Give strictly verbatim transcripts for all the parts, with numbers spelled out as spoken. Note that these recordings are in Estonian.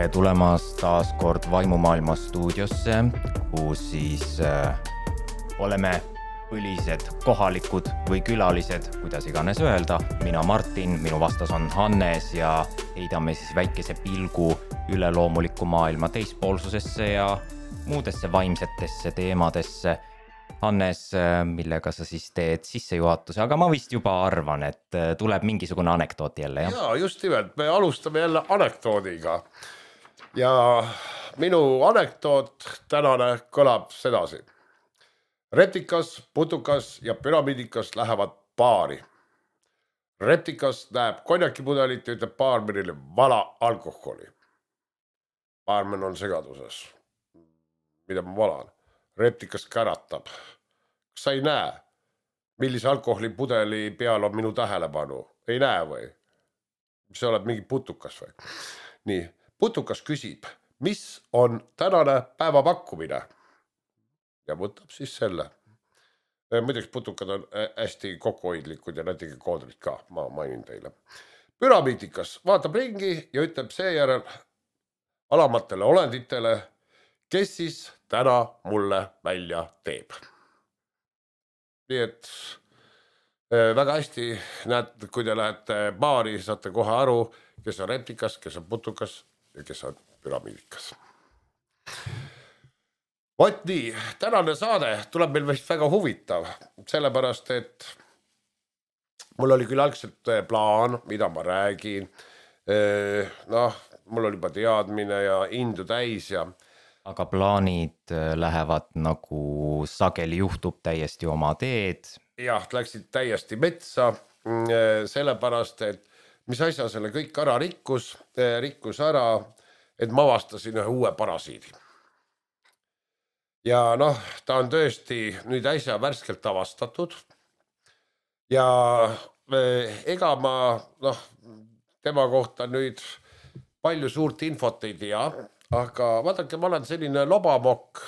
tere tulemast taas kord Vaimumaailma stuudiosse, kus siis äh, oleme põlised kohalikud või külalised, kuidas iganes öelda. Mina Martin, minu vastas on Hannes ja heidame siis väikese pilgu üleloomuliku maailma teispoolsusesse ja muudesse vaimsetesse teemadesse. Hannes, millega sa siis teed sissejuhatuse, aga ma vist juba arvan, et tuleb mingisugune anekdoot jälle, jah? Jaa, just nimelt, me alustame jälle anekdoodiga. Ja minu anekdoot tänane kõlab sedasi. Reptikas, putukas ja püramidikas lähevad paari. Reptikas näeb konjakipudelit ja ütleb baarmenile vala alkoholi. Baarmen on segaduses. Mida ma valan? Reptikas käratab. Kas sa ei näe, millise alkoholipudeli peal on minu tähelepanu? Ei näe või? Sa oled mingi putukas või? Nii, putukas küsib, mis on tänane päeva pakkumine? Ja võtab siis selle. Muideks putukad on hästi kokkuhoidlikud ja näitegi koodrid ka, ma mainin teile. Püramidikas vaatab ringi ja ütleb seejärel alamatele olenditele, kes siis täna mulle välja teeb. Nii et väga hästi näete, kui te lähete baari, saate kohe aru, kes on reptikas, kes on putukas ja kes on püramidikas. Vot nii, tänane saade tuleb meil vist väga huvitav, sellepärast, et mul oli küll algselt plaan, mida ma räägin. Noh, mul oli juba teadmine ja indu täis ja aga plaanid lähevad nagu sageli juhtub täiesti oma teed. Jah, läksid täiesti metsa, sellepärast, et mis asja selle kõik ära rikkus, rikkus ära, et ma avastasin ühe uue parasiidi. Ja noh, ta on tõesti nüüd äsja värskelt avastatud ja ega ma noh, tema kohta nüüd palju suurt infot ei tea, aga vaadake, ma olen selline lobamokk.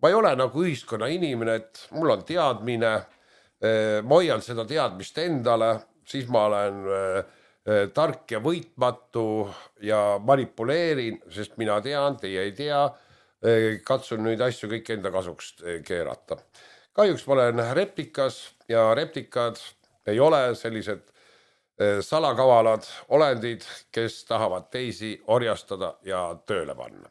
Ma ei ole nagu ühiskonna inimene, et mul on teadmine, ma hoian seda teadmist endale, siis ma olen tark ja võitmatu ja manipuleerin, sest mina tean, teie ei tea, katsun nüüd asju kõik enda kasuks keerata. Kahjuks ma olen reptikas ja reptikad ei ole sellised salakavalad olendid, kes tahavad teisi orjastada ja tööle panna.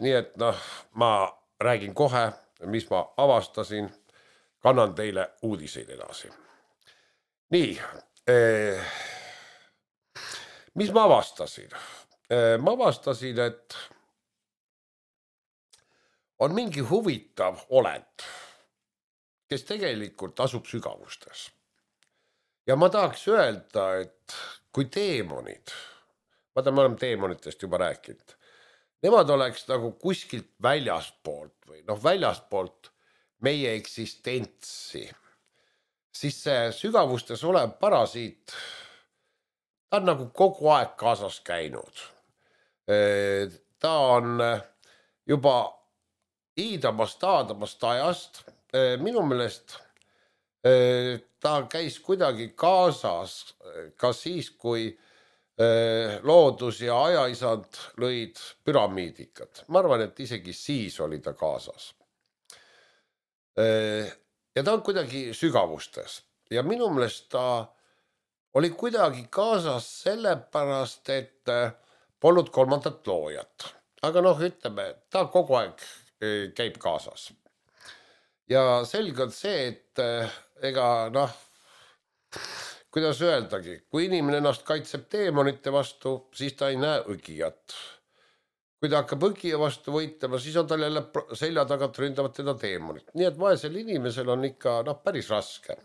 Nii et noh, ma räägin kohe, mis ma avastasin, kannan teile uudiseid edasi. Nii, mis ma avastasin? Ma avastasin, et on mingi huvitav olend, kes tegelikult asub sügavustes. Ja ma tahaks öelda, et kui teemonid, vaata me oleme teemonitest juba rääkinud, nemad oleks nagu kuskilt väljaspoolt või noh väljaspoolt meie eksistentsi, siis see sügavustes olev parasiit, ta on nagu kogu aeg kaasas käinud. Ta on juba iidamast, aadamast ajast, minu meelest ta käis kuidagi kaasas ka siis, kui loodus ja ajaisand lõid püramiidikad. Ma arvan, et isegi siis oli ta kaasas. Ja ta on kuidagi sügavustes. Ja minu meelest ta oli kuidagi kaasas sellepärast, et polnud kolmandat loojat. Aga noh, ütleme, ta kogu aeg käib kaasas. Ja selge on see, et ega noh, kuidas öeldagi, kui inimene ennast kaitseb teemonite vastu, siis ta ei näe õgijat. Kui ta hakkab õgija vastu võitlema, siis on tal jälle selja tagant ründavad teda teemonid. Nii et vaesel inimesel on ikka noh, päris raske.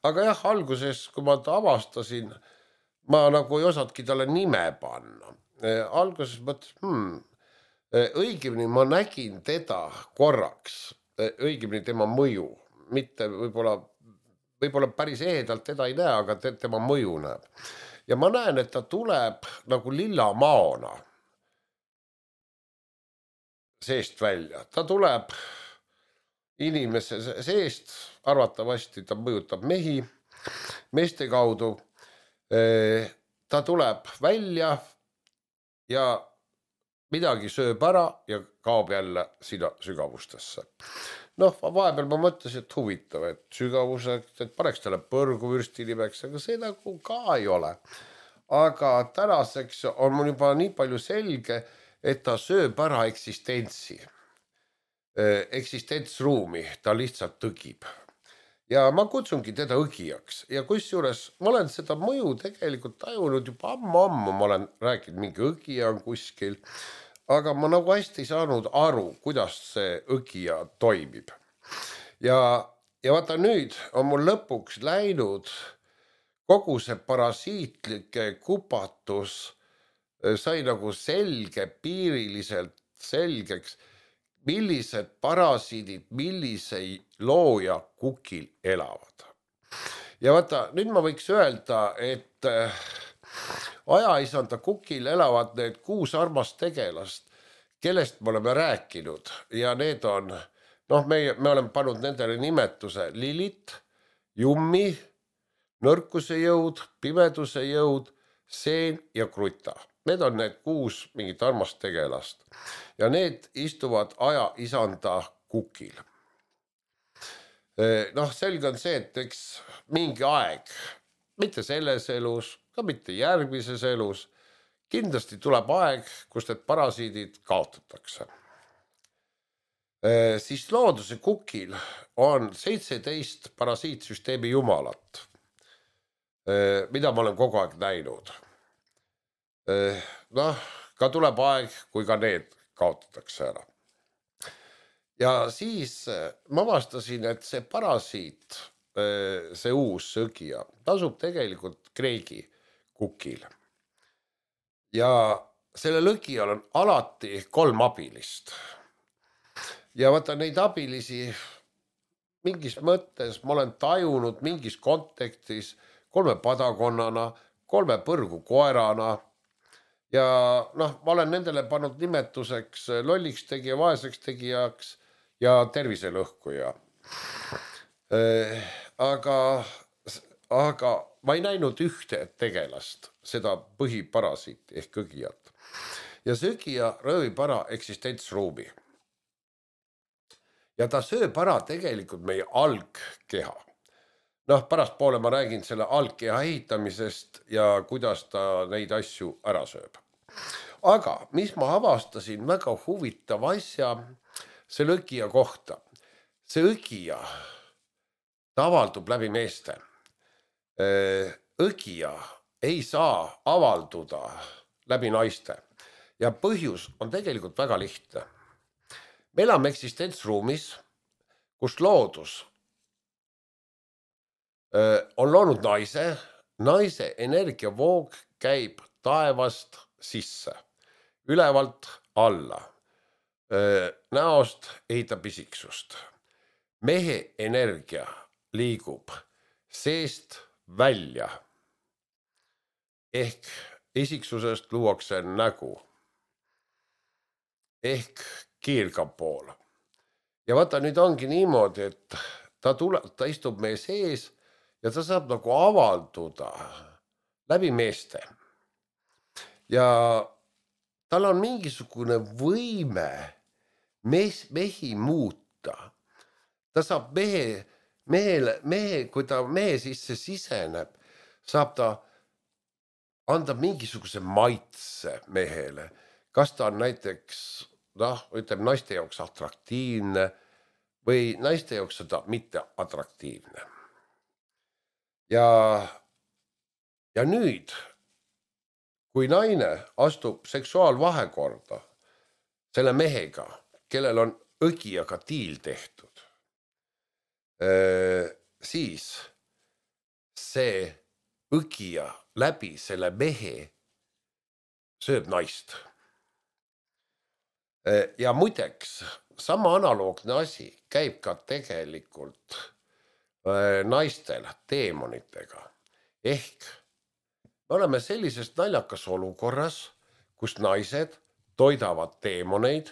Aga jah, alguses, kui ma ta avastasin, ma nagu ei osadki talle nime panna. Alguses mõtles, hmm, õigemini ma nägin teda korraks, õigemini tema mõju, mitte võib-olla, võib-olla päris ehedalt teda ei näe, aga tema mõju näeb. Ja ma näen, et ta tuleb nagu lilla maona seest välja. Ta tuleb inimese seest, arvatavasti ta mõjutab mehi, meeste kaudu ta tuleb välja ja midagi sööb ära ja kaob jälle sinna sügavustesse. Noh, vahepeal ma mõtlesin, et huvitav, et sügavuseks, et paneks talle põrguvürsti nimeks, aga see nagu ka ei ole. Aga tänaseks on mul juba nii palju selge, et ta sööb ära eksistentsi, eksistentsruumi, ta lihtsalt tõgib. Ja ma kutsungi teda õgijaks ja kusjuures ma olen seda mõju tegelikult tajunud juba ammu-ammu, ma olen rääkinud, mingi õgija on kuskil, aga ma nagu hästi ei saanud aru, kuidas see õgija toimib. Ja, ja vaata nüüd on mul lõpuks läinud kogu see parasiitlike kupatus sai nagu selge, piiriliselt selgeks, millised parasiidid, millisei looja kukil elavad. Ja vaata, nüüd ma võiks öelda, et ajaisanda kukil elavad need kuus armast tegelast, kellest me oleme rääkinud ja need on, noh, me, me oleme pannud nendele nimetuse Lilit, Jummi, nõrkuse jõud, pimeduse jõud, Seen ja Kruta. Need on need kuus mingit armast tegelast ja need istuvad aja isanda kukil. Noh, selge on see, et eks mingi aeg, mitte selles elus, ka mitte järgmises elus, kindlasti tuleb aeg, kus need parasiidid kaotatakse. Siis looduse kukil on seitseteist parasiitsüsteemi jumalat, mida ma olen kogu aeg näinud. Noh, ka tuleb aeg, kui ka need kaotatakse ära. Ja siis ma avastasin, et see parasiit, see uus sõgija, tasub tegelikult Kreegi kukil. Ja selle lõgijal on alati kolm abilist. Ja vaata neid abilisi mingis mõttes ma olen tajunud mingis kontekstis kolme padakonnana, kolme põrgu koerana. Ja noh, ma olen nendele pannud nimetuseks lolliks tegija, vaeseks tegijaks ja terviselõhkuja. Aga, aga ma ei näinud ühte tegelast, seda põhiparasiiti ehk õgijat. Ja see õgija röövib ära eksistentsruumi. Ja ta sööb ära tegelikult meie algkeha. Noh, pärast poole ma räägin selle algkeha ehitamisest ja kuidas ta neid asju ära sööb. Aga mis ma avastasin väga huvitav asja selle õgija kohta. See õgija ta avaldub läbi meeste. Õgija ei saa avalduda läbi naiste ja põhjus on tegelikult väga lihtne. Me elame eksistentsruumis, kus loodus on loonud naise, naise energiavoog käib taevast sisse, ülevalt alla, näost ehitab isiksust. Mehe energia liigub seest välja, ehk isiksusest luuakse nägu, ehk kiirgab pool. Ja vaata, nüüd ongi niimoodi, et ta, tule, ta istub meie sees ja ta saab nagu avalduda läbi meeste. Ja tal on mingisugune võime mees, mehi muuta. Ta saab mehe, mehele, mehe, kui ta mehe sisse siseneb, saab ta anda mingisuguse maitse mehele. Kas ta on näiteks, noh, ütleb naiste jaoks atraktiivne või naiste jaoks seda mitte atraktiivne. Ja, ja nüüd, kui naine astub seksuaalvahekorda selle mehega, kellel on õgijaga diil tehtud, siis see õgija läbi selle mehe sööb naist. Ja muideks, sama analoogne asi käib ka tegelikult naistel teemonitega. Ehk me oleme sellises naljakas olukorras, kus naised toidavad teemoneid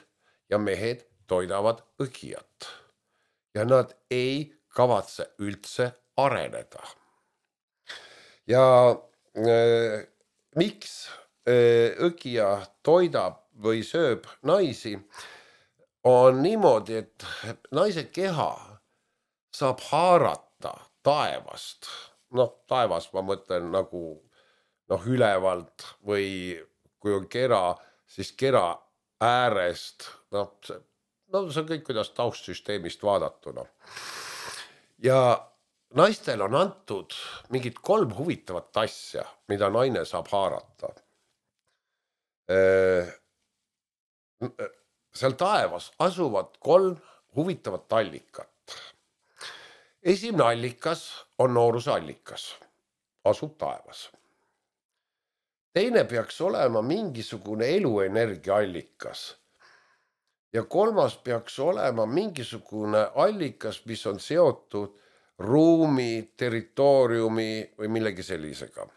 ja mehed toidavad õgijat. Ja nad ei kavatse üldse areneda. Ja miks õgija toidab või sööb naisi, on niimoodi, et naise keha saab haarata taevast. Noh, taevas ma mõtlen nagu noh, ülevalt või kui on kera, siis kera äärest. Noh, see, no see on kõik, kuidas taustsüsteemist vaadatuna. Ja naistel on antud mingid kolm huvitavat asja, mida naine saab haarata. Seal taevas asuvad kolm huvitavat allikat. Esimene allikas on nooruse allikas, asub taevas. Teine peaks olema mingisugune eluenergia allikas. Ja kolmas peaks olema mingisugune allikas, mis on seotud ruumi, territooriumi või millegi sellisega.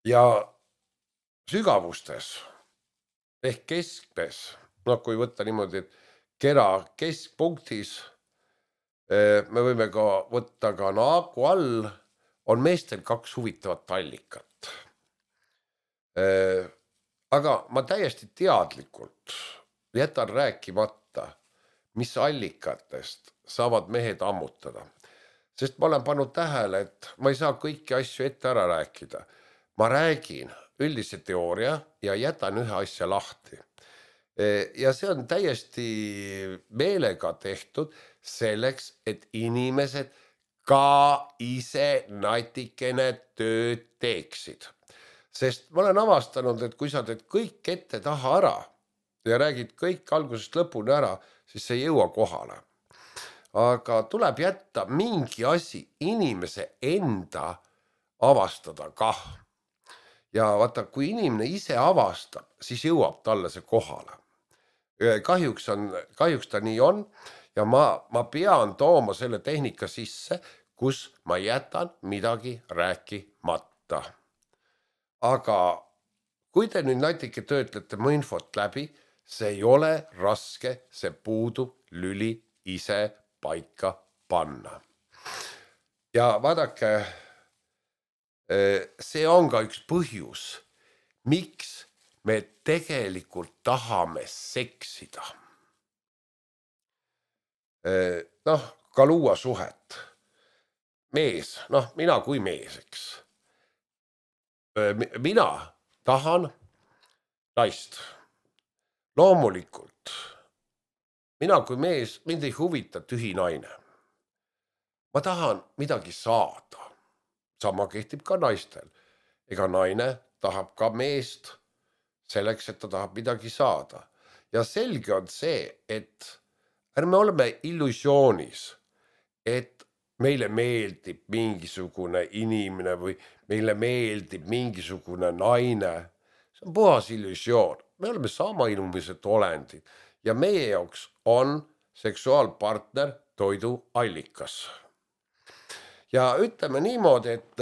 Ja sügavustes ehk keskmes, noh kui võtta niimoodi, et kera keskpunktis, me võime ka võtta ka naagu all, on meestel kaks huvitavat allikat. Aga ma täiesti teadlikult jätan rääkimata, mis allikatest saavad mehed ammutada. Sest ma olen pannud tähele, et ma ei saa kõiki asju ette ära rääkida. Ma räägin üldise teooria ja jätan ühe asja lahti. Ja see on täiesti meelega tehtud selleks, et inimesed ka ise natikene tööd teeksid. Sest ma olen avastanud, et kui sa teed kõik ette taha ära ja räägid kõik algusest lõpuni ära, siis see ei jõua kohale. Aga tuleb jätta mingi asi inimese enda avastada kah. Ja vaata, kui inimene ise avastab, siis jõuab talle see kohale. Kahjuks, on, kahjuks ta nii on ja ma, ma pean tooma selle tehnika sisse, kus ma jätan midagi rääkimata. Aga kui te nüüd natuke töötlete mu infot läbi, see ei ole raske, see puudub lüli ise paika panna. Ja vaadake, see on ka üks põhjus, miks me tegelikult tahame seksida. Noh, ka luua suhet. Mees, noh, mina kui mees, eks. Mina tahan naist. Loomulikult. Mina kui mees, mind ei huvita tühi naine. Ma tahan midagi saada. Sama kehtib ka naistel. Ega naine tahab ka meest selleks, et ta tahab midagi saada. Ja selge on see, et ärme oleme illusioonis, et meile meeldib mingisugune inimene või meile meeldib mingisugune naine. See on puhas illusioon. Me oleme sama inimesed olendid ja meie jaoks on seksuaalpartner toidu allikas. Ja ütleme niimoodi, et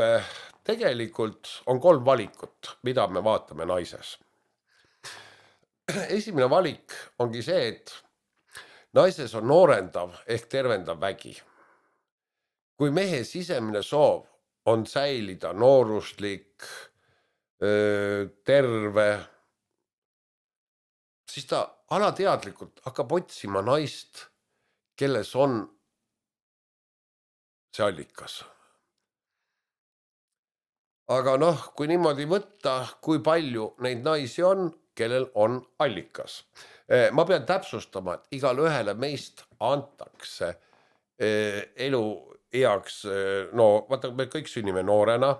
tegelikult on kolm valikut, mida me vaatame naises. Esimene valik ongi see, et naises on noorendav ehk tervendav vägi. Kui mehe sisemine soov on säilida nooruslik, terve, siis ta alateadlikult hakkab otsima naist, kelles on see allikas. Aga noh, kui niimoodi võtta, kui palju neid naisi on, kellel on allikas. Ma pean täpsustama, et igal ühele meist antakse elu eaks, no vaata, me kõik sünnime noorena,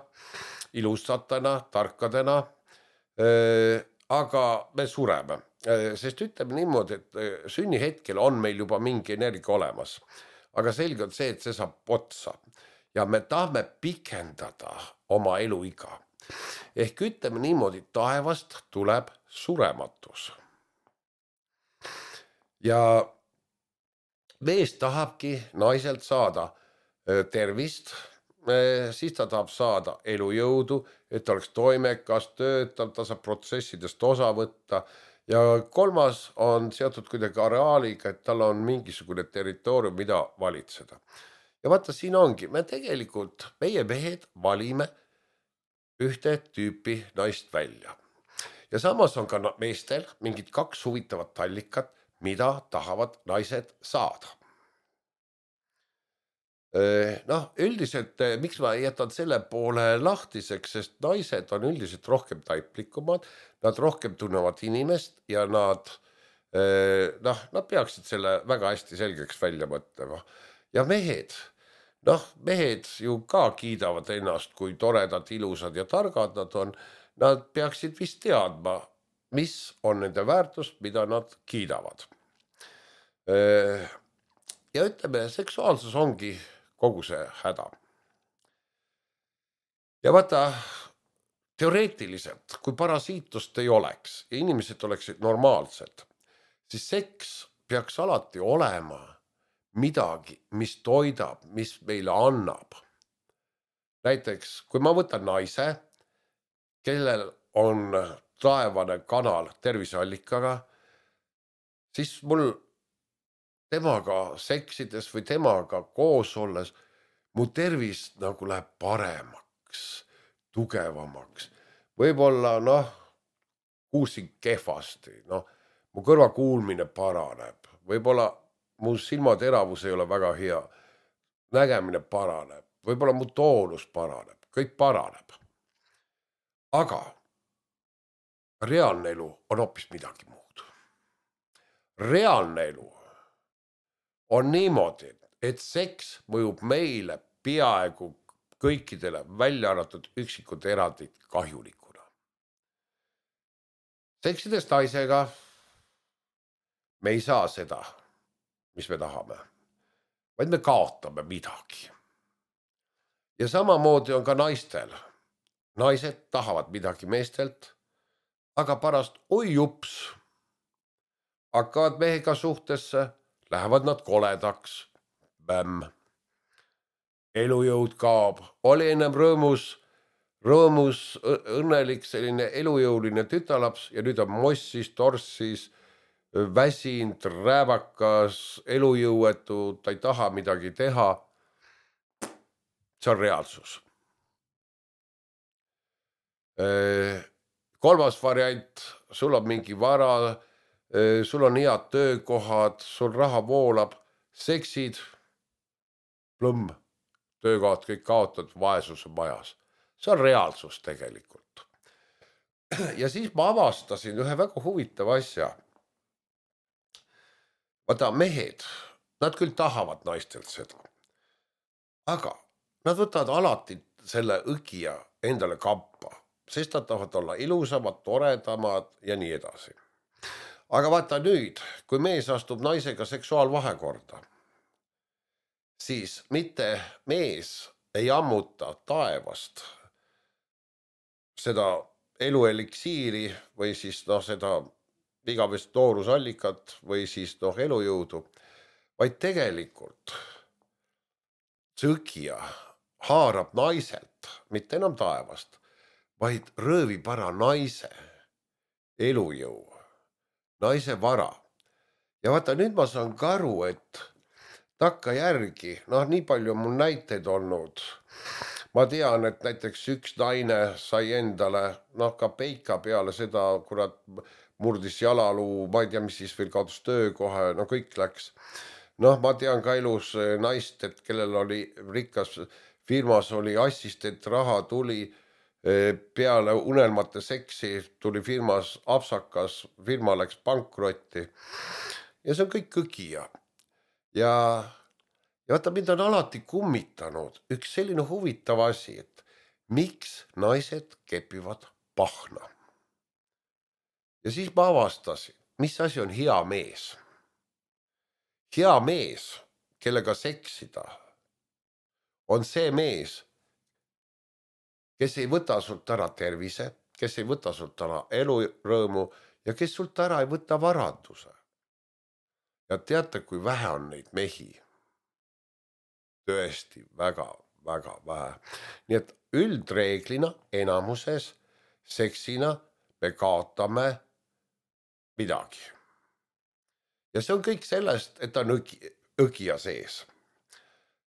ilusatena, tarkadena, aga me sureme. Sest ütleme niimoodi, et sünni hetkel on meil juba mingi energia olemas. Aga selge on see, et see saab otsa. Ja me tahame pikendada oma eluiga. Ehk ütleme niimoodi, taevast tuleb surematus. Ja mees tahabki naiselt saada tervist, siis ta tahab saada elujõudu, et ta oleks toimekas, töötav, ta saab protsessidest osa võtta. Ja kolmas on seotud kuidagi areaaliga, et tal on mingisugune territoorium, mida valitseda. Ja vaata, siin ongi, me tegelikult, meie mehed valime ühte tüüpi naist välja. Ja samas on ka meestel mingid kaks huvitavat allikat, mida tahavad naised saada. Noh, üldiselt, miks ma jätan selle poole lahtiseks, sest naised on üldiselt rohkem taiplikumad, nad rohkem tunnevad inimest ja nad, noh, nad peaksid selle väga hästi selgeks välja mõtlema. Ja mehed, noh, mehed ju ka kiidavad ennast, kui toredad, ilusad ja targad nad on, nad peaksid vist teadma, mis on nende väärtust, mida nad kiidavad. Ja ütleme, seksuaalsus ongi kogu see häda. Ja vaata, teoreetiliselt, kui parasiitust ei oleks ja inimesed oleksid normaalsed, siis seks peaks alati olema midagi, mis toidab, mis meile annab. Näiteks, kui ma võtan naise, kellel on taevane kanal terviseallikaga, siis mul temaga seksides või temaga koos olles mu tervis nagu läheb paremaks, tugevamaks. Võib-olla, noh, kuulsin kehvasti, noh, mu kõrva kuulmine paraneb. Võib-olla mu silmateravus ei ole väga hea, nägemine paraneb. Võib-olla mu toonus paraneb, kõik paraneb. Aga reaalne elu on hoopis midagi muud. Reaalne elu on niimoodi, et seks mõjub meile peaaegu kõikidele välja arvatud üksikud erandid kahjulikuna. Seksides naisega me ei saa seda, mis me tahame, vaid me kaotame midagi. Ja samamoodi on ka naistel. Naised tahavad midagi meestelt, aga pärast oi jups, hakkavad mehega suhtesse, lähevad nad koledaks, bämm. Elujõud kaob, oli ennem rõõmus, rõõmus, õnnelik selline elujõuline tütalaps ja nüüd on mossis, torssis, väsind, rääbakas, elujõuetu, ta ei taha midagi teha. See on reaalsus. Kolmas variant, sul on mingi vara, sul on head töökohad, sul raha voolab, seksid, plõmm, töökohad kõik kaotad, vaesus on majas. See on reaalsus tegelikult. Ja siis ma avastasin ühe väga huvitava asja. Vaata, mehed, nad küll tahavad naistelt seda, aga nad võtavad alati selle õgija endale kampa, sest nad tahavad olla ilusamad, toredamad ja nii edasi. Aga vaata nüüd, kui mees astub naisega seksuaalvahekorda, siis mitte mees ei ammuta taevast seda elueliksiiri või siis noh, seda igavest toorusallikat või siis noh, elujõudu, vaid tegelikult see õgija haarab naiselt, mitte enam taevast, vaid röövib ära naise elujõu, naise vara. Ja vaata, nüüd ma saan ka aru, et takka järgi, noh, nii palju on mul näiteid olnud. Ma tean, et näiteks üks naine sai endale, noh, ka peika peale seda, kurat, murdis jalaluu, ma ei tea, mis siis veel kaotas töökoha, no kõik läks. Noh, ma tean ka elus naist, et kellel oli rikas firmas, oli assistent, raha tuli peale unelmate seksi, tuli firmas apsakas, firma läks pankrotti. Ja see on kõik õgija. Ja, ja vaata, mind on alati kummitanud üks selline huvitav asi, et miks naised kepivad pahna. Ja siis ma avastasin, mis asi on hea mees. Hea mees, kellega seksida, on see mees, kes ei võta sult ära tervise, kes ei võta sult ära elurõõmu ja kes sult ära ei võta varanduse. Ja teate, kui vähe on neid mehi? Tõesti väga, väga vähe. Nii et üldreeglina enamuses seksina me kaotame midagi. Ja see on kõik sellest, et ta on õgija sees.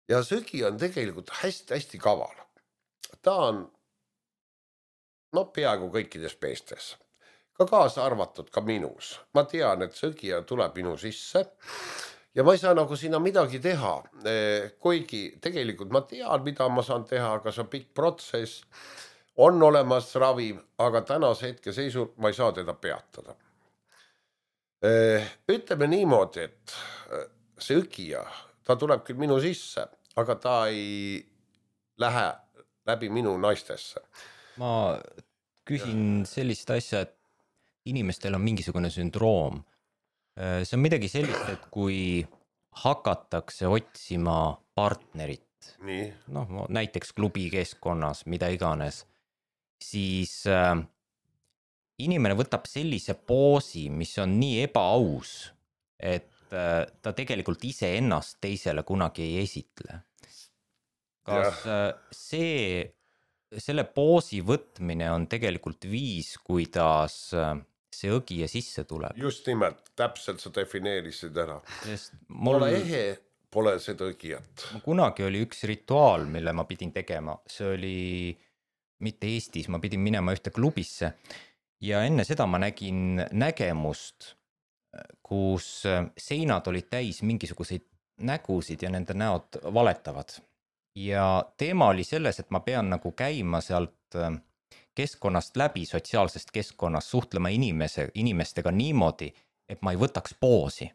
Ja see õgija on tegelikult hästi-hästi kaval. Ta on no peaaegu kõikides meestes, ka kaasa arvatud ka minus. Ma tean, et see õgija tuleb minu sisse ja ma ei saa nagu sinna midagi teha, kuigi tegelikult ma tean, mida ma saan teha, aga see on pikk protsess, on olemas ravim, aga tänase hetke seisul ma ei saa teda peatada. Ütleme niimoodi, et see õgija, ta tuleb küll minu sisse, aga ta ei lähe läbi minu naistesse. Ma küsin sellist asja, et inimestel on mingisugune sündroom. See on midagi sellist, et kui hakatakse otsima partnerit, Nii. noh, näiteks klubi keskkonnas, mida iganes, siis äh, inimene võtab sellise poosi, mis on nii ebaaus, et äh, ta tegelikult ise ennast teisele kunagi ei esitle. Kas äh, see, selle poosi võtmine on tegelikult viis, kuidas äh, see õgija sisse tuleb? Just nimelt, täpselt sa defineerisid ära. Sest mul... Pole ehe, pole seda õgijat. Kunagi oli üks rituaal, mille ma pidin tegema. See oli mitte Eestis, ma pidin minema ühte klubisse. Ja enne seda ma nägin nägemust, kus seinad olid täis mingisuguseid nägusid ja nende näod valetavad. Ja teema oli selles, et ma pean nagu käima sealt keskkonnast läbi, sotsiaalsest keskkonnast, suhtlema inimese, inimestega niimoodi, et ma ei võtaks poosi.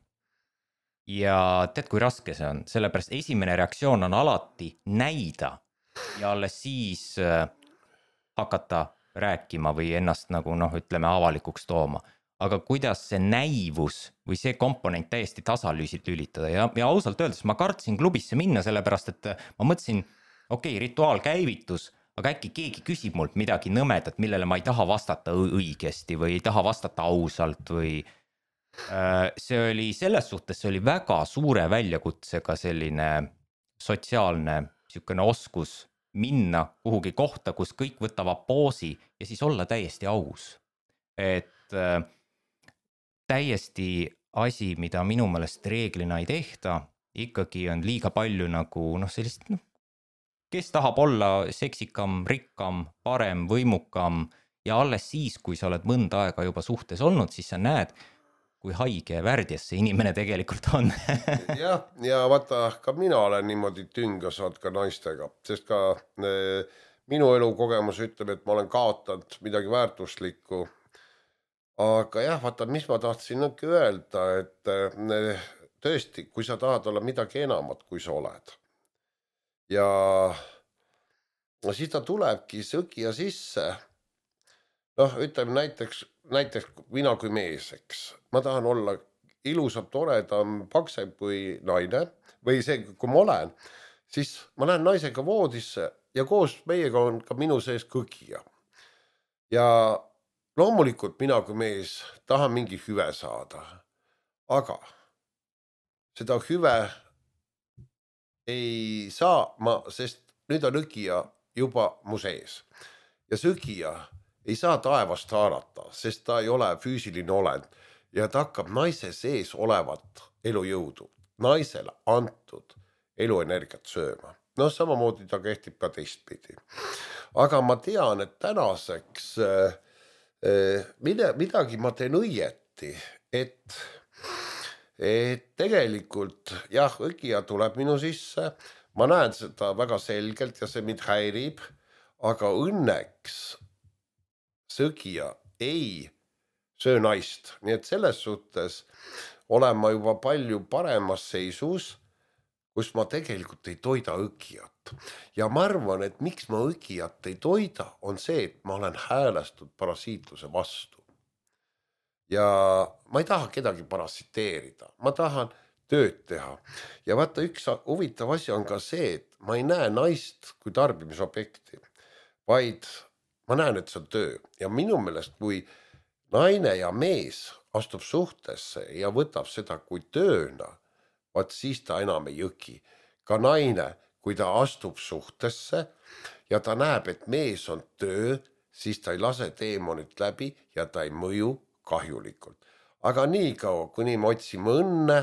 Ja tead, kui raske see on, sellepärast esimene reaktsioon on alati näida ja alles siis hakata rääkima või ennast nagu noh, ütleme avalikuks tooma. Aga kuidas see näivus või see komponent täiesti tasalüüsid lülitada ja, ja ausalt öeldes ma kartsin klubisse minna, sellepärast et ma mõtlesin, okei, okay, rituaal käivitus, aga äkki keegi küsib mult midagi nõmedat, millele ma ei taha vastata õigesti või ei taha vastata ausalt või äh, see oli selles suhtes, see oli väga suure väljakutsega selline sotsiaalne sükene oskus minna kuhugi kohta, kus kõik võtavad poosi ja siis olla täiesti aus. Et äh, täiesti asi, mida minu meelest reeglina ei tehta, ikkagi on liiga palju nagu noh, sellist, noh, kes tahab olla seksikam, rikkam, parem, võimukam ja alles siis, kui sa oled mõnda aega juba suhtes olnud, siis sa näed, kui haige ja värdjas see inimene tegelikult on. jah, ja vaata, ka mina olen niimoodi tünga saanud ka naistega, sest ka eh, minu elukogemus ütleb, et ma olen kaotanud midagi väärtuslikku. Aga jah, vaata, mis ma tahtsin nõngi öelda, et eh, tõesti, kui sa tahad olla midagi enamat, kui sa oled. Ja siis ta tulebki sõgija sisse. Noh, ütleme näiteks, näiteks mina kui mees, eks. Ma tahan olla ilusam, toredam, paksem kui naine või see, kui ma olen, siis ma lähen naisega voodisse ja koos meiega on ka minu sees kõgija. Ja loomulikult mina kui mees tahan mingi hüve saada, aga seda hüve ei saa ma, sest nüüd on õgija juba mu sees ja see õgija ei saa taevast haarata, sest ta ei ole füüsiline olend ja ta hakkab naise sees olevat elujõudu, naisele antud eluenergiat sööma. No samamoodi ta kehtib ka teistpidi. Aga ma tean, et tänaseks eh, midagi ma teen õieti, et, et tegelikult jah, õgija tuleb minu sisse, ma näen seda väga selgelt ja see mind häirib, aga õnneks sõgija ei söö naist. Nii et selles suhtes olen ma juba palju paremas seisus, kus ma tegelikult ei toida õgijat. Ja ma arvan, et miks ma õgijat ei toida, on see, et ma olen häälestud parasiitluse vastu. Ja ma ei taha kedagi parasiteerida, ma tahan tööd teha. Ja vaata, üks huvitav asi on ka see, et ma ei näe naist kui tarbimisobjekti, vaid ma näen, et see on töö ja minu meelest, kui naine ja mees astub suhtesse ja võtab seda kui tööna, vaat siis ta enam ei õgi. Ka naine, kui ta astub suhtesse ja ta näeb, et mees on töö, siis ta ei lase teemonit läbi ja ta ei mõju kahjulikult. Aga nii kaua, kuni me otsime õnne,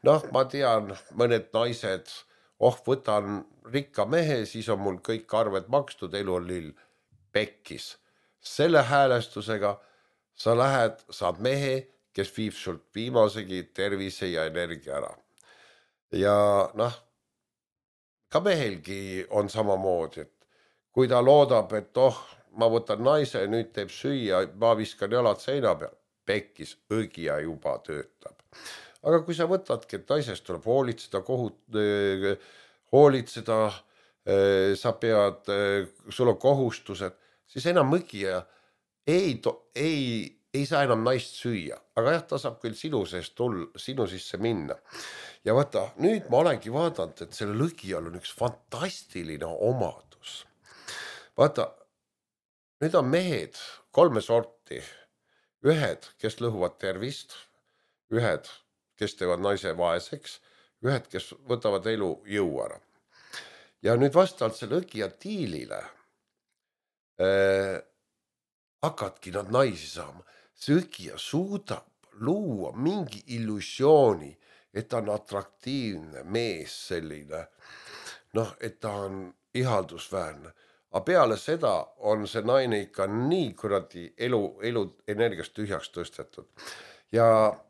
noh, ma tean, mõned naised, oh, võtan rikka mehe, siis on mul kõik arved makstud, elu on lill. Pekkis. selle häälestusega sa lähed, saad mehe, kes viib sult viimasegi tervise ja energia ära. Ja noh, ka mehelgi on samamoodi, et kui ta loodab, et oh, ma võtan naise, nüüd teeb süüa, ma viskan jalad seina peal, pekkis, õgija juba töötab. Aga kui sa võtadki, et naisest tuleb hoolitseda, kohut, hoolitseda, sa pead, sul on kohustused, siis enam õgija ei, ei, ei saa enam naist süüa, aga jah, ta saab küll sinu seest tulla, sinu sisse minna. Ja vaata, nüüd ma olengi vaadanud, et selle õgijal on üks fantastiline omadus. Vaata, nüüd on mehed kolme sorti. Ühed, kes lõhuvad tervist, ühed, kes teevad naise vaeseks, ühed, kes võtavad elu jõu ära. Ja nüüd vastavalt selle õgija tiilile äh, hakadki nad naisi saama. See õgija suudab luua mingi illusiooni, et ta on atraktiivne mees selline, noh, et ta on ihaldusväärne. Aga peale seda on see naine ikka nii kuradi elu, elu energiast tühjaks tõstetud. Ja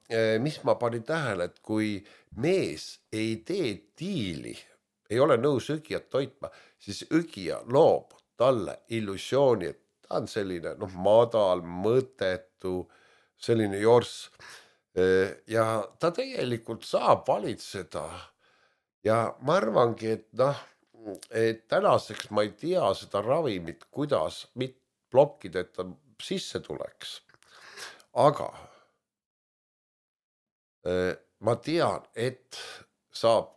eh, mis ma panin tähele, et kui mees ei tee tiili, ei ole nõus õgijat toitma, siis õgija loob talle illusiooni, et ta on selline noh, madal, mõtetu, selline jorss. Ja ta tegelikult saab valitseda. Ja ma arvangi, et noh, et tänaseks ma ei tea seda ravimit, kuidas mit blokkida, et ta sisse tuleks. Aga ma tean, et saab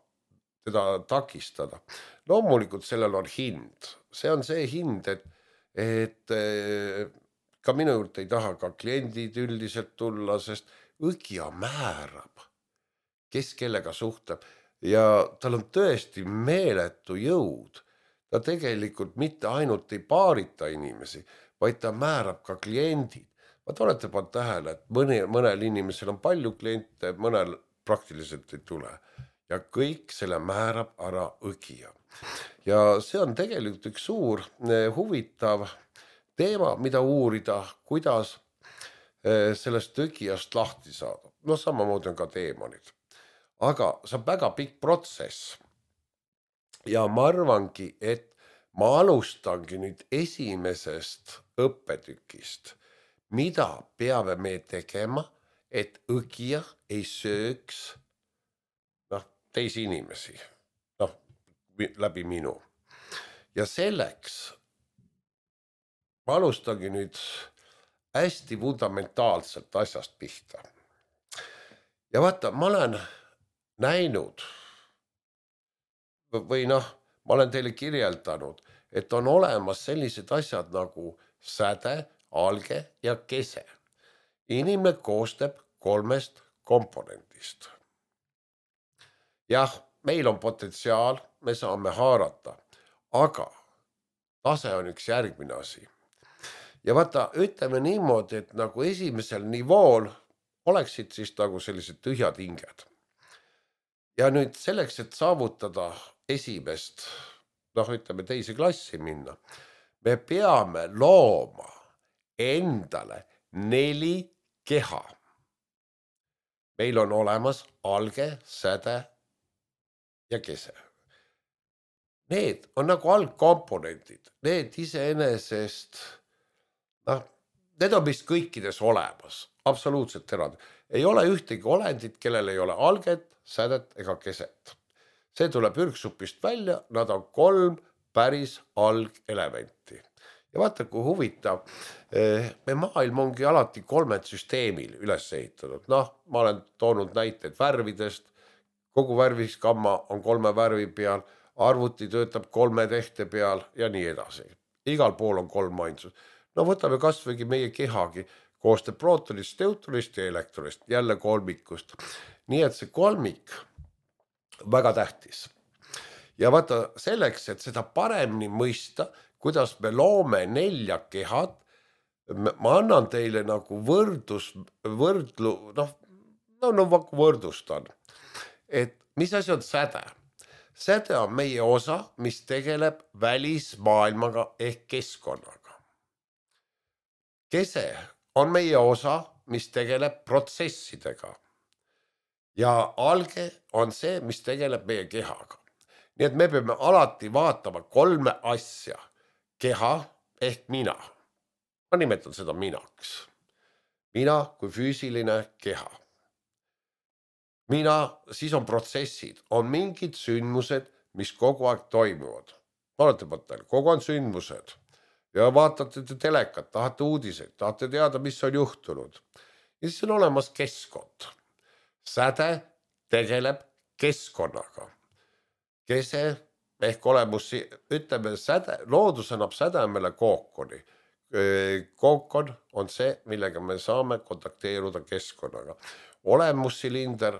teda takistada. Loomulikult sellel on hind. See on see hind, et, et ka minu juurde ei taha ka kliendid üldiselt tulla, sest õgija määrab, kes kellega suhtleb ja tal on tõesti meeletu jõud. Ta tegelikult mitte ainult ei paarita inimesi, vaid ta määrab ka kliendid. Vaat olete pannud tähele, et mõne, mõnel inimesel on palju kliente, mõnel praktiliselt ei tule. Ja kõik selle määrab ära õgija. Ja see on tegelikult üks suur huvitav teema, mida uurida, kuidas sellest õgijast lahti saada. No samamoodi on ka teemonid. Aga see on väga pikk protsess. Ja ma arvangi, et ma alustangi nüüd esimesest õppetükist, mida peame me tegema, et õgija ei sööks teisi inimesi, noh, läbi minu. Ja selleks ma alustangi nüüd hästi fundamentaalselt asjast pihta. Ja vaata, ma olen näinud või noh, ma olen teile kirjeldanud, et on olemas sellised asjad nagu säde, alge ja kese. Inimene koostab kolmest komponendist. Jah, meil on potentsiaal, me saame haarata, aga tase on üks järgmine asi. Ja vaata, ütleme niimoodi, et nagu esimesel nivool oleksid siis nagu sellised tühjad hinged. Ja nüüd selleks, et saavutada esimest, noh ütleme teise klassi minna, me peame looma endale neli keha. Meil on olemas alge, säde ja kese. Need on nagu algkomponendid, need iseenesest, noh, need on vist kõikides olemas, absoluutselt erand. Ei ole ühtegi olendit, kellel ei ole alget, sädet ega keset. See tuleb ürgsupist välja, nad on kolm päris algelementi. Ja vaata, kui huvitav, me maailm ongi alati kolmed süsteemil üles ehitatud. Noh, ma olen toonud näiteid värvidest, kogu värviskamma on kolme värvi peal, arvuti töötab kolme tehte peal ja nii edasi. Igal pool on kolm ainsust. No võtame kasvõigi meie kehagi, koostab prootonist, deuterist ja elektronist, jälle kolmikust. Nii et see kolmik väga tähtis. Ja vaata selleks, et seda paremini mõista, kuidas me loome nelja kehad, ma annan teile nagu võrdus, võrdlu, noh, no, no võrdustan. Et mis asi on säde? Säde on meie osa, mis tegeleb välismaailmaga ehk keskkonnaga. Kese on meie osa, mis tegeleb protsessidega. Ja alge on see, mis tegeleb meie kehaga. Nii et me peame alati vaatama kolme asja. Keha ehk mina. Ma nimetan seda minaks. Mina kui füüsiline keha. Mina, siis on protsessid, on mingid sündmused, mis kogu aeg toimuvad. Olete mõttel, kogu on sündmused ja vaatate te telekat, tahate uudiseid, tahate teada, mis on juhtunud. Ja siis on olemas keskkond. Säde tegeleb keskkonnaga. Kese ehk olemus, ütleme, säde, loodus annab sädemele kookoni. Kookon on see, millega me saame kontakteeruda keskkonnaga. Olemussilinder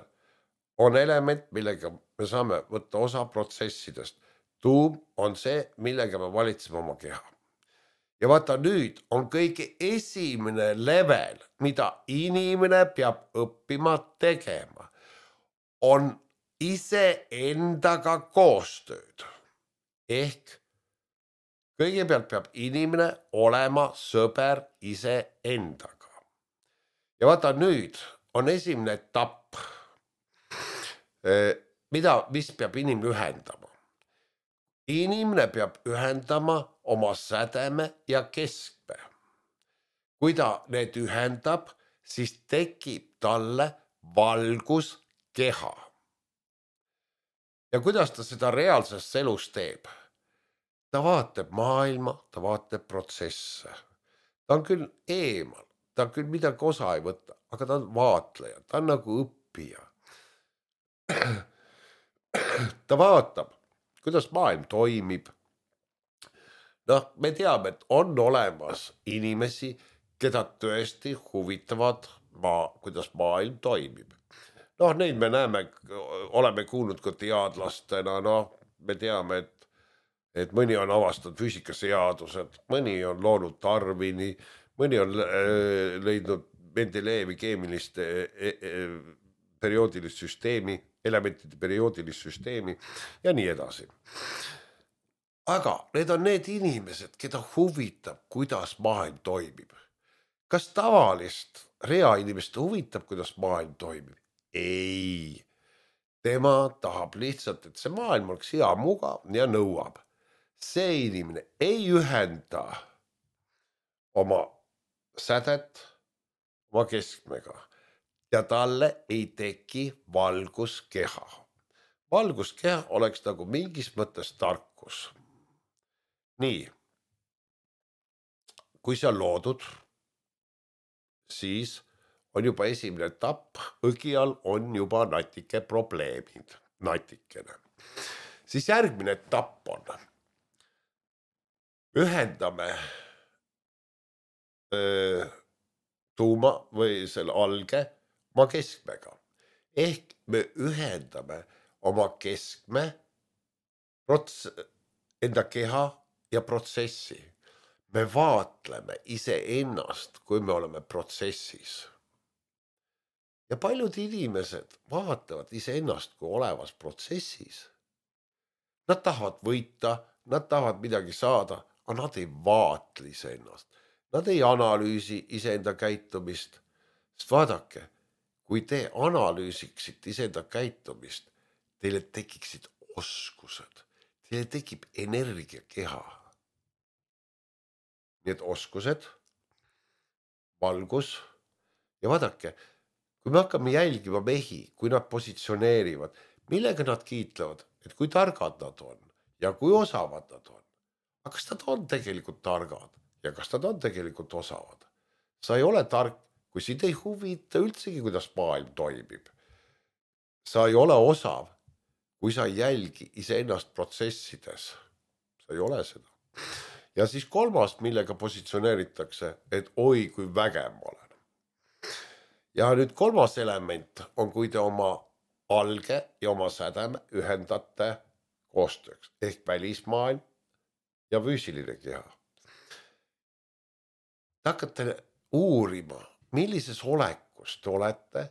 on element, millega me saame võtta osa protsessidest. Tuum on see, millega me valitseme oma keha. Ja vaata, nüüd on kõige esimene level, mida inimene peab õppima tegema, on ise endaga koostööd. Ehk kõigepealt peab inimene olema sõber ise endaga. Ja vaata, nüüd on esimene etapp, mida, mis peab inimene ühendama. Inimene peab ühendama oma sädeme ja keskme. Kui ta need ühendab, siis tekib talle valgus keha. Ja kuidas ta seda reaalses elus teeb? Ta vaatab maailma, ta vaatab protsesse. Ta on küll eemal, ta küll midagi osa ei võtta, aga ta on vaatleja, ta on nagu õppija. Ta vaatab, kuidas maailm toimib. Noh, me teame, et on olemas inimesi, keda tõesti huvitavad, maa, kuidas maailm toimib. Noh, neid me näeme, oleme kuulnud ka teadlastena, noh, me teame, et, et mõni on avastanud füüsikaseadused, mõni on loonud Darwini, mõni on leidnud Mendelejevi keemilist perioodilist süsteemi, elementide perioodilist süsteemi ja nii edasi. Aga need on need inimesed, keda huvitab, kuidas maailm toimib. Kas tavalist rea inimest huvitab, kuidas maailm toimib? Ei. Tema tahab lihtsalt, et see maailm oleks hea mugav ja nõuab. See inimene ei ühenda oma sädet oma keskmega. Ja talle ei teki valguskeha. Valguskeha oleks nagu mingis mõttes tarkus. Nii, kui see on loodud, siis on juba esimene etapp, õgial on juba natike probleemid, natikene. Siis järgmine etapp on, ühendame öö, tuuma või selle alge oma keskmega. Ehk me ühendame oma keskme prots- enda keha ja protsessi. Me vaatleme ise ennast, kui me oleme protsessis. Ja paljud inimesed vaatavad ise ennast, kui olevas protsessis. Nad tahavad võita, nad tahavad midagi saada, aga nad ei vaatli ise ennast. Nad ei analüüsi ise enda käitumist. Sest vaadake, kui te analüüsiksite ise enda käitumist, teile tekiksid oskused, teile tekib energiakeha. Need oskused, valgus ja vaadake, kui me hakkame jälgima mehi, kui nad positsioneerivad, millega nad kiitlevad, et kui targad nad on ja kui osavad nad on. Aga kas nad on tegelikult targad ja kas nad on tegelikult osavad? Sa ei ole tark, kui sind ei huvita üldsegi, kuidas maailm toimib. Sa ei ole osav, kui sa jälgi iseennast protsessides. Sa ei ole seda. Ja siis kolmas, millega positsioneeritakse, et oi, kui vägev ma olen. Ja nüüd kolmas element on, kui te oma alge ja oma sädeme ühendate koostööks, ehk välismaailm ja füüsiline keha. Te hakkate uurima, millises olekus te olete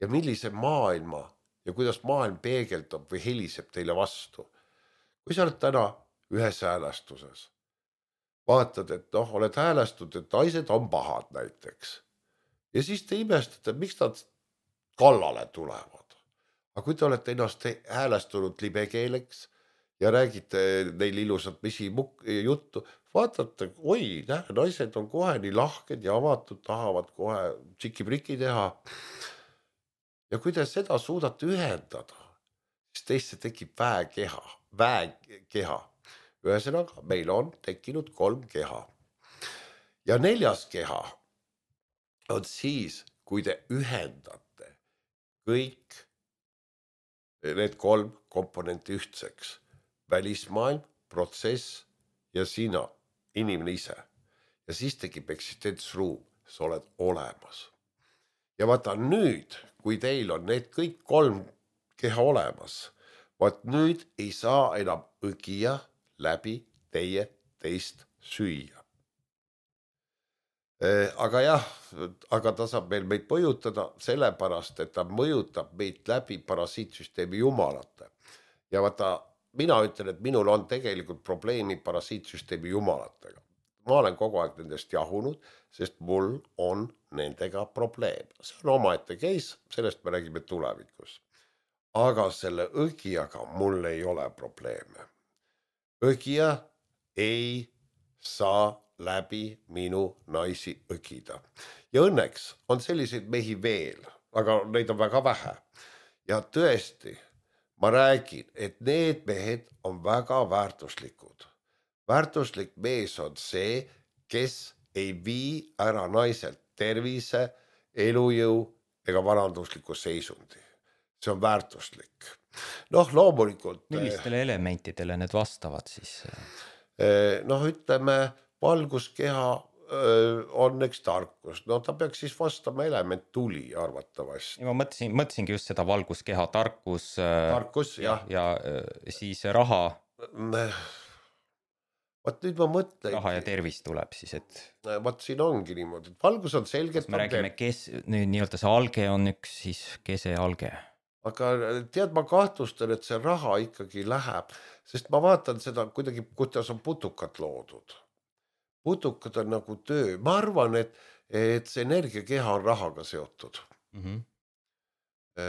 ja millise maailma ja kuidas maailm peegeldab või heliseb teile vastu. Kui sa oled täna ühes häälestuses, vaatad, et noh, oled häälestud, et naised on pahad näiteks. Ja siis te imestate, miks nad kallale tulevad. Aga kui te olete ennast häälestunud libekeeleks ja räägite neil ilusat misi juttu, vaatate, oi, näe, naised on kohe nii lahked ja avatud, tahavad kohe tšiki-priki teha. Ja kui te seda suudate ühendada, siis teisse tekib väekeha, väekeha. Ühesõnaga, meil on tekkinud kolm keha. Ja neljas keha on siis, kui te ühendate kõik need kolm komponenti ühtseks. Välismaailm, protsess ja sina, inimene ise. Ja siis tekib eksistentsruum, sa oled olemas. Ja vaata nüüd, kui teil on need kõik kolm keha olemas, vaat nüüd ei saa enam õgija läbi teie teist süüa. Aga jah, aga ta saab meil meid mõjutada sellepärast, et ta mõjutab meid läbi parasiitsüsteemi jumalate. Ja vaata, mina ütlen, et minul on tegelikult probleemi parasiitsüsteemi jumalatega. Ma olen kogu aeg nendest jahunud, sest mul on nendega probleem. See on omaette case, sellest me räägime tulevikus. Aga selle õgijaga mul ei ole probleeme. Õgija ei saa läbi minu naisi õgida. Ja õnneks on selliseid mehi veel, aga neid on väga vähe. Ja tõesti, ma räägin, et need mehed on väga väärtuslikud. Väärtuslik mees on see, kes ei vii ära naiselt tervise, elujõu ega varandusliku seisundi. See on väärtuslik. Noh, loomulikult... Millistele elementidele need vastavad siis? Noh, ütleme, valguskeha on üks tarkus. No ta peaks siis vastama element tuli arvatavasti. Ma mõtlesin, mõtlesingi just seda valguskeha tarkus. Tarkus, jah. Ja siis raha... Vaat nüüd ma mõtlen. Raha ja tervis tuleb siis, et... Vaat siin ongi niimoodi, et valgus on selgelt... Me räägime, kes nüüd nii-öelda see alge on üks, siis kese alge. Aga tead, ma kahtlustan, et see raha ikkagi läheb, sest ma vaatan seda kuidagi, kuidas on putukad loodud. Putukad on nagu töö. Ma arvan, et, et see energiakeha on rahaga seotud. Mm-hmm. E,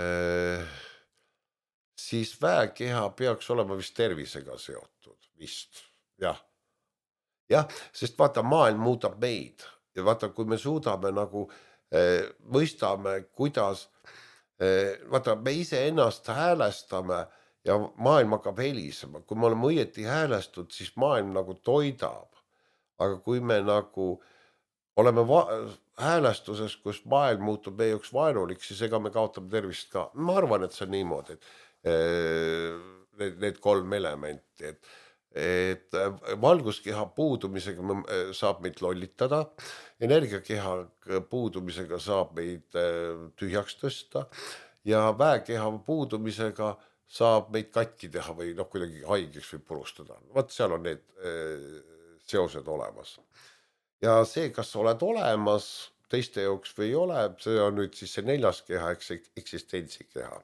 siis väekeha peaks olema vist tervisega seotud. Vist, jah. Jah, sest vaata, maailm muudab meid ja vaata, kui me suudame nagu eh, mõistame, kuidas eh, vaata, me ise ennast häälestame ja maailm hakkab helisema. Kui me oleme õieti häälestud, siis maailm nagu toidab. Aga kui me nagu oleme häälestuses, kus maailm muutub meie jaoks vaenulik, siis ega me kaotame tervist ka. Ma arvan, et see on niimoodi, et eh, need, need kolm elementi, et et valguskeha puudumisega saab meid lollitada, energiakeha puudumisega saab meid tühjaks tõsta ja väekeha puudumisega saab meid katki teha või noh, kuidagi haigeks või purustada. Vaat seal on need seosed olemas. Ja see, kas sa oled olemas teiste jaoks või ei ole, see on nüüd siis see neljas keha, eksistensikeha.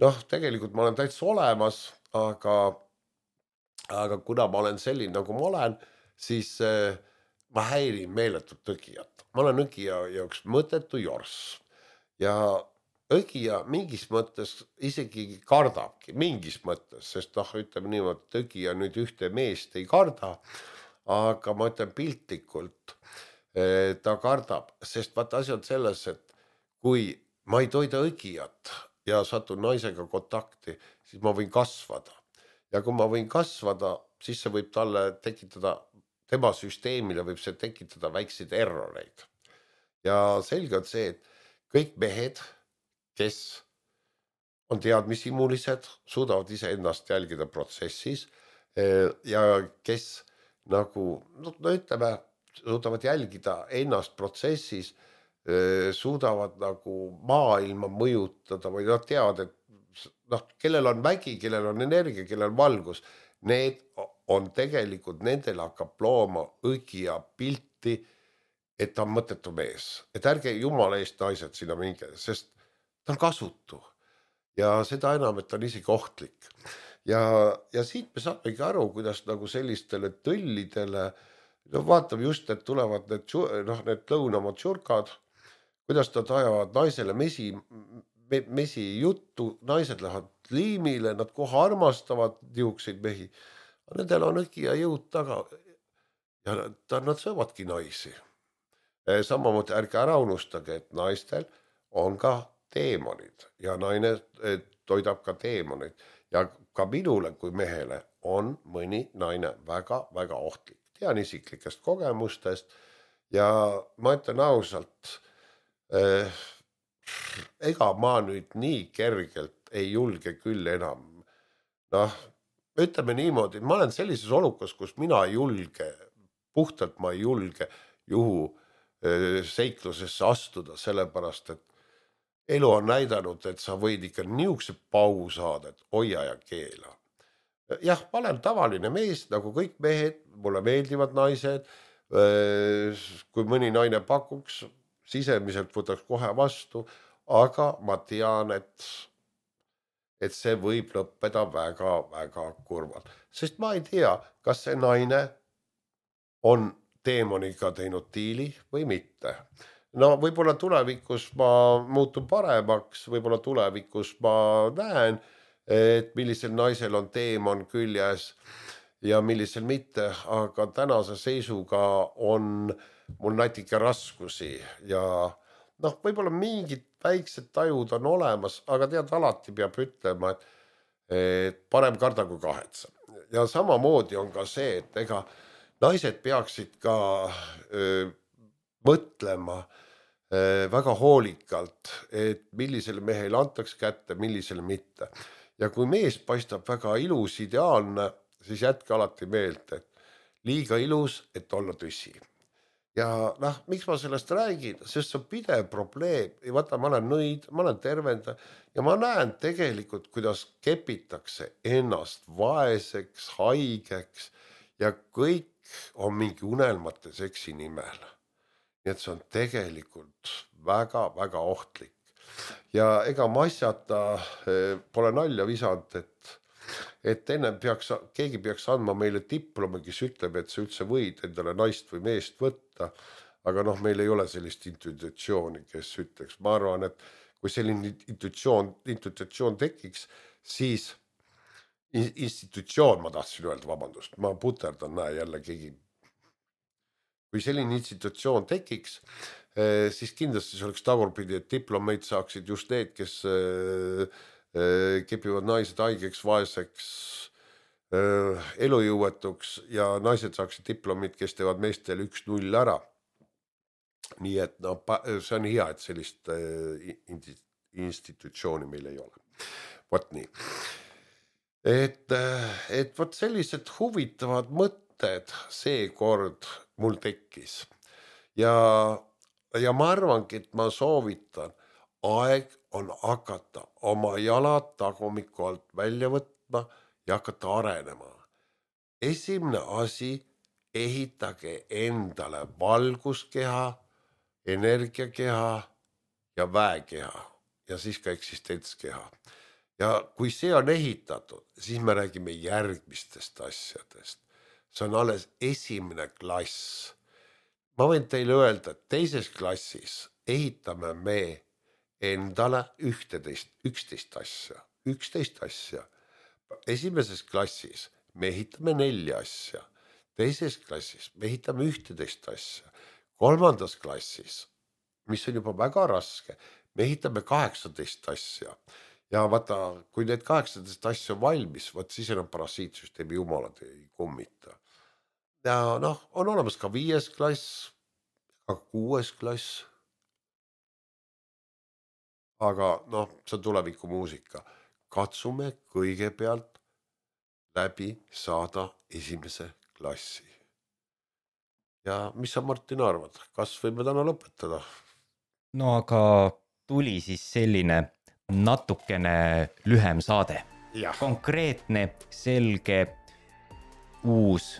Noh, tegelikult ma olen täitsa olemas, aga aga kuna ma olen selline, nagu ma olen, siis äh, ma häirin meeletut õgijat. Ma olen õgija jaoks mõttetu jorss. Ja õgija mingis mõttes isegi kardabki, mingis mõttes, sest noh, ütleme niimoodi, et õgija nüüd ühte meest ei karda, aga ma ütlen piltlikult, äh, ta kardab, sest vaata asi on selles, et kui ma ei toida õgijat ja satun naisega kontakti, siis ma võin kasvada. Ja kui ma võin kasvada, siis see võib talle tekitada, tema süsteemile võib see tekitada väikseid erroreid. Ja selge on see, et kõik mehed, kes on teadmisimulised, suudavad ise ennast jälgida protsessis ja kes nagu, no ütleme, suudavad jälgida ennast protsessis, suudavad nagu maailma mõjutada või nad teavad, et noh, kellel on vägi, kellel on energia, kellel on valgus, need on tegelikult, nendel hakkab looma õgija pilti, et ta on mõttetu mees. Et ärge jumala eest naised sinna minge, sest ta on kasutu. Ja seda enam, et ta on isegi ohtlik. ja, ja siit me saamegi aru, kuidas nagu sellistele tõllidele, no vaatame just, et tulevad need, noh, need lõunamad tšurkad, kuidas nad ajavad naisele mesi, mesi juttu, naised lähevad liimile, nad kohe armastavad niukseid mehi, nendel on õki ja jõud taga ja nad, nad söövadki naisi. Samamoodi ärge ära unustage, et naistel on ka teemonid ja naine toidab ka teemonid ja ka minule kui mehele on mõni naine väga-väga ohtlik. Tean isiklikest kogemustest ja ma ütlen ausalt, eh, ega ma nüüd nii kergelt ei julge küll enam. Noh, ütleme niimoodi, ma olen sellises olukas, kus mina ei julge, puhtalt ma ei julge juhu seiklusesse astuda, sellepärast, et elu on näidanud, et sa võid ikka niukse pau saada, et hoia ja keela. Jah, ma olen tavaline mees, nagu kõik mehed, mulle meeldivad naised, kui mõni naine pakuks, sisemiselt võtaks kohe vastu, aga ma tean, et, et see võib lõppeda väga-väga kurvalt. Sest ma ei tea, kas see naine on teemoniga teinud diili või mitte. No võib-olla tulevikus ma muutun paremaks, võib-olla tulevikus ma näen, et millisel naisel on teemon küljes ja millisel mitte, aga tänase seisuga on mul natuke raskusi ja noh, võib-olla mingid väiksed tajud on olemas, aga tead, alati peab ütlema, et, et parem karda kui kahetse. Ja samamoodi on ka see, et ega naised peaksid ka öö, mõtlema öö, väga hoolikalt, et millisele mehele antaks kätte, millisele mitte. Ja kui mees paistab väga ilus, ideaalne, siis jätke alati meelt, et liiga ilus, et olla tõsi. Ja noh, miks ma sellest räägin, sest see on pidev probleem. Ja vaata, ma olen nõid, ma olen tervenda ja ma näen tegelikult, kuidas kepitakse ennast vaeseks, haigeks ja kõik on mingi unelmate seksi nimel. Nii et see on tegelikult väga-väga ohtlik. Ja ega ma asjata pole nalja visanud, et, et enne peaks, keegi peaks andma meile diplomi, kes ütleb, et sa üldse võid endale naist või meest võtta, aga noh, meil ei ole sellist intuitsiooni, kes ütleks. Ma arvan, et kui selline intuitsioon, intuitsioon tekiks, siis institutsioon, ma tahtsin öelda, vabandust, ma puterdan, näe jälle keegi. Kui selline institutsioon tekiks, siis kindlasti see oleks tagurpidi, et diplomeid saaksid just need, kes kepivad naised haigeks, vaeseks, elujõuetuks ja naised saaksid diplomid, kes teevad meestel üks null ära. Nii et no, see on hea, et sellist institutsiooni meil ei ole. Vot nii. Et, et võt sellised huvitavad mõtted seekord mul tekkis ja, ja ma arvangi, et ma soovitan, aeg on hakata oma jalad tagumiku alt välja võtma ja hakata arenema. Esimene asi, ehitage endale valguskeha, energiakeha ja väekeha ja siis ka eksistentskeha. Ja kui see on ehitatud, siis me räägime järgmistest asjadest. See on alles esimene klass. Ma võin teile öelda, et teises klassis ehitame me endale ühteteist, üksteist asja, üksteist asja. Esimeses klassis me ehitame nelja asja, teises klassis me ehitame ühteteist asja, kolmandas klassis, mis on juba väga raske, me ehitame kaheksateist asja. Ja vaata, kui need kaheksateist asja on valmis, vaat siis enam parasiitsüsteemi jumalad ei kummita. Ja noh, on olemas ka viies klass, ka kuues klass. Aga noh, see on tuleviku muusika. Katsume kõigepealt läbi saada esimese klassi. Ja mis sa, Martin, arvad? Kas võime täna lõpetada? No aga tuli siis selline natukene lühem saade. Ja. Konkreetne, selge, uus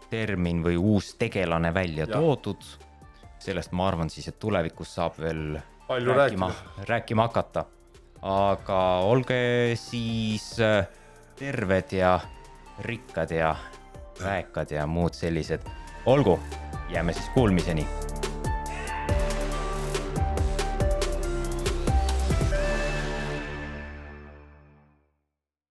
termin või uus tegelane välja ja. Toodud. Sellest ma arvan siis, et tulevikus saab veel palju rääkima, rääkima hakata. Aga olge siis terved ja rikkad ja väekad ja muud sellised. Olgu, jääme siis kuulmiseni.